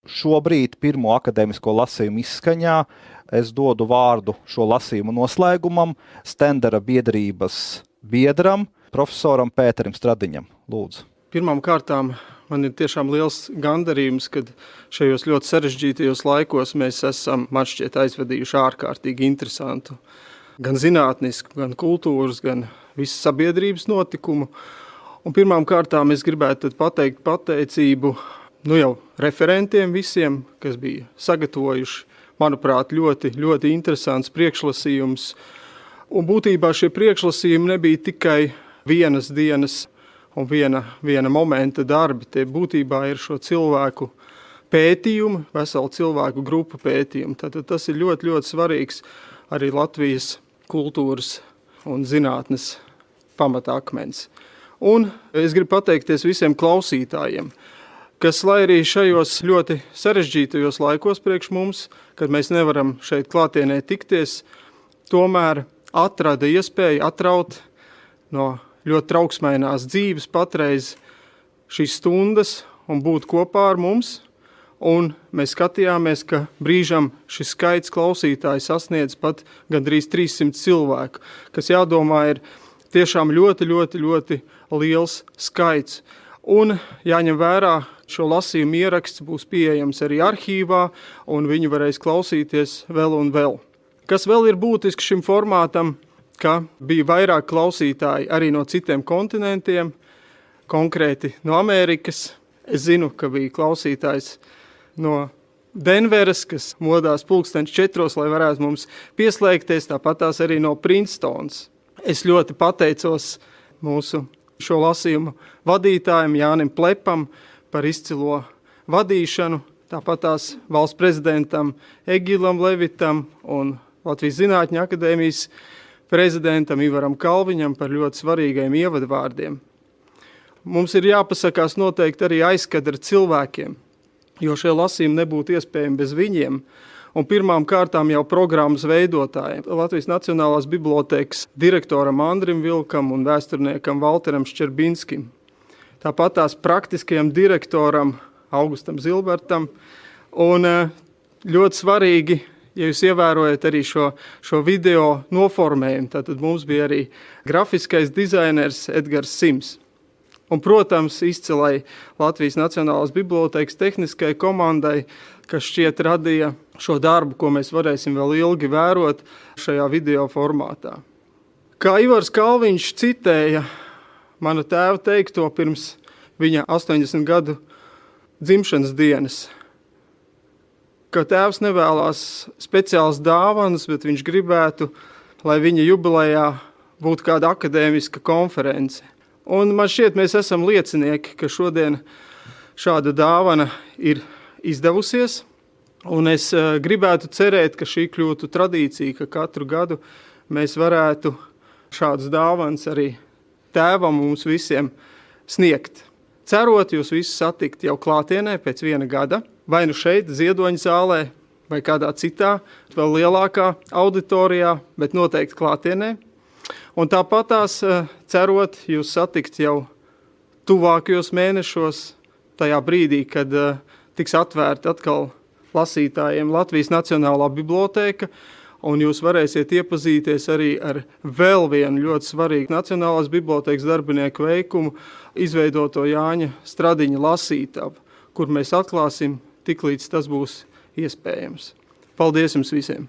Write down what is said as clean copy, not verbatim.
šobrīd pirmo akadēmisko lasījumu izskaņā es dodu vārdu šo lasījumu noslēgumam Stendera biedrības biedram, profesoram Pēterim Stradiņam. Lūdzu. Pirmām kārtām man ir tiešām liels gandarījums, kad šajos ļoti sarežģītajos laikos mēs esam, man šķiet, aizvadījuši ārkārtīgi interesantu gan zinātnisku, gan kultūras, gan visas sabiedrības notikumu. Un pirmām kārtām es gribētu pateikt pateicību jau referentiem visiem, kas bija sagatavojuši, manuprāt, ļoti, ļoti interesants priekšlasījums. Un būtībā šie priekšlasījumi nebija tikai vienas dienas un viena momenta darbi. Tie būtībā ir šo cilvēku pētījumi, veselu cilvēku grupu pētījumi. Tātad tas ir ļoti, ļoti svarīgs arī Latvijas kultūras un zinātnes pamatakmens. Un es gribu pateikties visiem klausītājiem, kas, lai arī šajos ļoti sarežģītajos laikos priekš mums, kad mēs nevaram šeit klātienē tikties, tomēr atrada iespēju atraut no ļoti trauksmainās dzīves patreiz šīs stundas un būt kopā ar mums. Un mēs skatījāmies, ka brīžam šis skaits klausītāji sasniedz pat gandrīz 300 cilvēku, kas jādomā ir tiešām ļoti, ļoti, ļoti liels skaits. Un jāņem vērā, šo lasījumu ieraksts būs pieejams arī arhīvā, un viņi varēs klausīties vēl un vēl. Kas vēl ir būtiski šim formātam, ka bija vairāk klausītāji arī no citiem kontinentiem, konkrēti no Amerikas. Es zinu, ka bija klausītājs no Denveras, kas modās 4:00, lai varētu mums pieslēgties, tāpatās arī no Princetons. Es ļoti pateicos mūsu šo lasījumu vadītājiem Jānim Plepam par izcilo vadīšanu, tāpatās valsts prezidentam Egilam Levitam un Latvijas Zinātņu akadēmijas prezidentam Ivaram Kalviņam par ļoti svarīgiem ievadvārdiem. Mums ir jāpasakās noteikti arī aizkadra cilvēkiem, jo šie lasījumi nebūtu iespējami bez viņiem. Un pirmām kārtām jau programmas veidotājiem, Latvijas Nacionālās bibliotēkas direktoram Andrim Vilkam un vēsturniekam Valteram Ščerbinskim. Tāpat tās praktiskajam direktoram Augustam Zilbertam. Un ļoti svarīgi, ja jūs ievērojat arī šo video noformējumu, tad mums bija arī grafiskais dizainers Edgars Sims. Un, protams, izcilai Latvijas Nacionālās bibliotēkas tehniskai komandai, kas šķiet radīja šo darbu, ko mēs varēsim vēl ilgi vērot šajā video formātā. Kā Ivars Kalviņš citēja mana tēva teikto pirms viņa 80 gadu dzimšanas dienas, ka tēvs nevēlās speciāls dāvanas, bet viņš gribētu, lai viņa jubilejā būtu kāda akadēmiska konference. Un man šķiet, mēs esam liecinieki, ka šodien šāda dāvana ir izdevusies. Un es gribētu cerēt, ka šī kļūtu tradīcija, ka katru gadu mēs varētu šādas dāvanas arī tēvam mums visiem sniegt. Cerot jūs visus satikt jau klātienē pēc viena gada, vai nu šeit, Ziedoņa zālē, vai kādā citā, vēl lielākā auditorijā, bet noteikti klātienē. Un tāpatās cerot jūs satikt jau tuvākajos mēnešos, tajā brīdī, kad tiks atvērta atkal lasītājiem Latvijas Nacionālā bibliotēka, un jūs varēsiet iepazīties arī ar vēl vienu ļoti svarīgu Nacionālās bibliotēkas darbinieku veikumu, izveidoto Jāņa Stradiņa lasītavu, kur mēs atklāsim, tiklīdz tas būs iespējams. Paldies jums visiem!